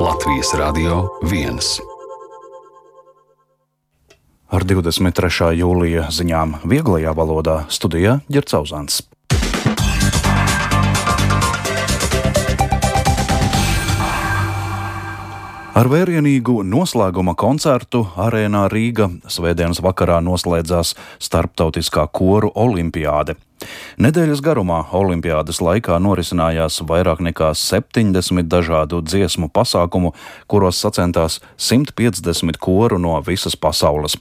Latvijas Radio 1. Ar 23. jūlija ziņām vieglajā valodā studijā Ģerts Auzāns. Ar vērienīgu noslēguma koncertu Arēnā Rīga svētdienas vakarā noslēdzās starptautiskā koru olimpiāde. Nedēļas garumā olimpiādes laikā norisinājās vairāk nekā 70 dažādu dziesmu pasākumu, kuros sacentās 150 koru no visas pasaules.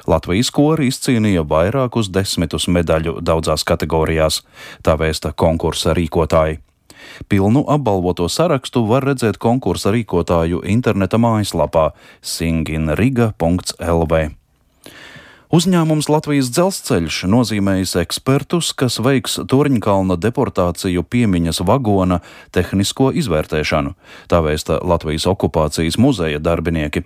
Latvijas kori izcīnīja vairākus desmitus medaļu daudzās kategorijās, tā vēsta konkursa rīkotāji. Pilnu apbalvoto sarakstu var redzēt konkursa rīkotāju interneta mājaslapā singinriga.lv. Uzņēmums Latvijas dzelzceļš nozīmējis ekspertus, kas veiks Torņkalna deportāciju piemiņas vagona tehnisko izvērtēšanu, tā vēsta Latvijas okupācijas muzeja darbinieki.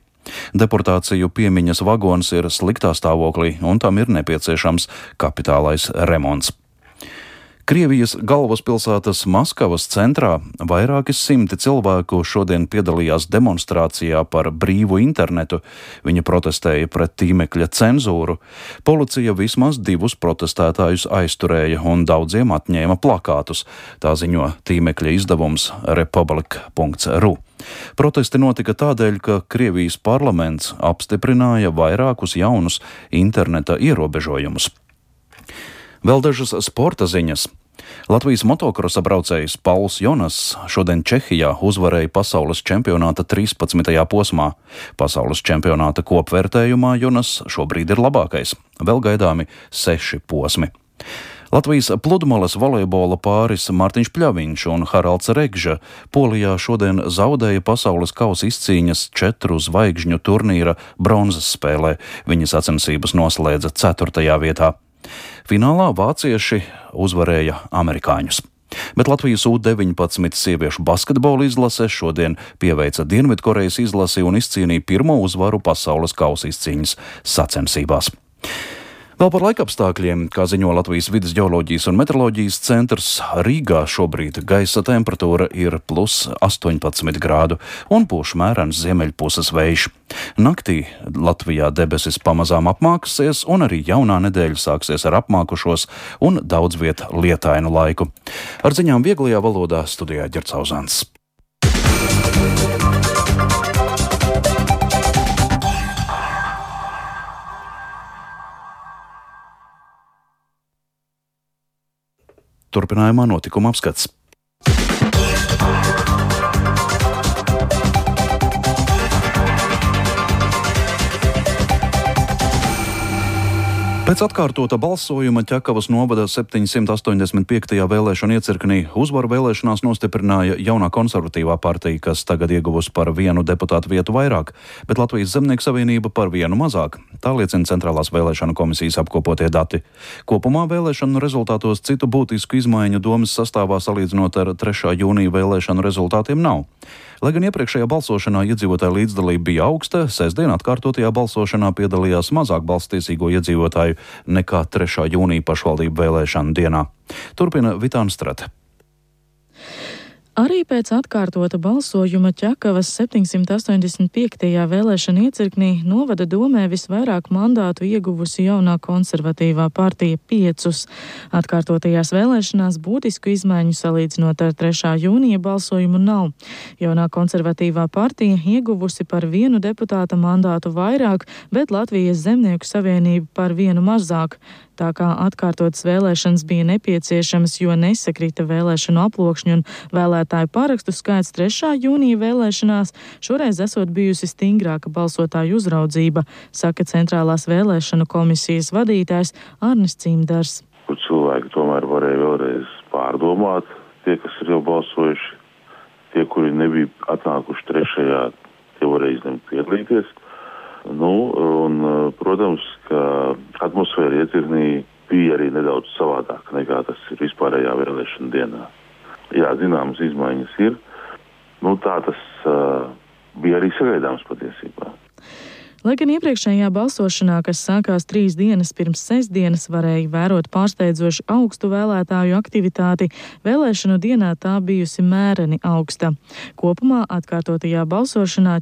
Deportāciju piemiņas vagons ir sliktā stāvoklī un tam ir nepieciešams kapitālais remonts. Krievijas galvaspilsētas Maskavas centrā vairāki simti cilvēku šodien piedalījās demonstrācijā par brīvu internetu. Viņi protestēja pret tīmekļa cenzūru. Policija vismaz 2 protestētājus aizturēja un daudziem atņēma plakātus, tā ziņo tīmekļa izdevums republika.ru. Protesti notika tādēļ, ka Krievijas parlaments apstiprināja vairākus jaunus interneta ierobežojumus. Vēl dažas sporta ziņas. Latvijas motokrosa braucējs Pauls Jonas šodien Čehijā uzvarēja pasaules čempionāta 13. posmā. Pasaules čempionāta kopvērtējumā Jonas šobrīd ir labākais. Vēl gaidāmi 6 posmi. Latvijas pludmales volejbola pāris Mārtiņš Pļaviņš un Haralds Regža Polijā šodien zaudēja pasaules kausa izcīņas 4 zvaigžņu turnīra bronzas spēlē. Viņa sacensības noslēdza 4. vietā. Finālā vācieši uzvarēja amerikāņus. Bet Latvijas U-19 sieviešu basketbola izlase šodien pieveica Dienvidkorejas izlasi un izcīnīja pirmo uzvaru pasaules kausa izcīņas sacensībās. Vēl par laikapstākļiem, kā ziņo Latvijas vides ģeoloģijas un meteoroloģijas centrs, Rīgā šobrīd gaisa temperatūra ir +18 grādu un pūš mērens ziemeļpuses vējš. Naktī Latvijā debesis pamazām apmāksies un arī jaunā nedēļa sāksies ar apmākušos un daudz viet lietainu laiku. Ar ziņām vieglajā valodā studijā Ģerts Auzāns. Turpinājumā notikuma apskats. Pēc atkārtota balsojuma Ķekavas novada 785. vēlēšanu iecirknī uzvaru vēlēšanās nostiprināja jaunā konservatīvā partija, kas tagad ieguvusi par 1 deputātu vietu vairāk, bet Latvijas Zemnieku savienība par 1 mazāk. Tā liecina Centrālās vēlēšanu komisijas apkopotie dati. Kopumā vēlēšanu rezultātos citu būtisku izmaiņu domas sastāvā salīdzinot ar 3. jūnija vēlēšanu rezultātiem nav. Lai gan iepriekšējā balsošanā iedzīvotāju līdzdalība bija augsta, sestdien atkārtotajā balsošanā piedalījās mazāk balsstiesīgo iedzīvotāju nekā 3. jūnija pašvaldību vēlēšanu dienā. Turpina Vitāna Strate. Arī pēc atkārtota balsojuma Ķekavas 785. vēlēšana iecirknī novada domē visvairāk mandātu ieguvusi jaunā konservatīvā partija 5. Atkārtotajās vēlēšanās būtisku izmaiņu salīdzinot ar 3. jūnija balsojumu nav. Jaunā konservatīvā partija ieguvusi par 1 deputāta mandātu vairāk, bet Latvijas Zemnieku savienība par 1 mazāk. Tā kā atkārtotas vēlēšanas bija nepieciešamas, jo nesakrita vēlēšanu aploksņu un vēlētāju parakstu skaits 3. jūnija vēlēšanās, šoreiz esot bijusi stingrāka balsotāju uzraudzība, saka Centrālās vēlēšanu komisijas vadītājs Arnis Cimdars. Kur cilvēki tomēr varēja vēlreiz pārdomāt, tie, kas ir jau balsojuši, tie, kuri nebija atnākuši 3. tie varēja izlemt piedalīties. Protams, ka atmosfēra iecirknī bija arī nedaudz savādāk nekā tas ir vispārējā vēlēšana dienā. Jā, zināmas izmaiņas ir. Tā tas bija arī sagaidāms patiesībā. Lai gan iepriekšējā balsošanā, kas sākās 3 dienas pirms sestdienas, varēja vērot pārsteidzoši augstu vēlētāju aktivitāti, vēlēšanu dienā tā bijusi mēreni augsta. Kopumā atkārtotajā balsošanā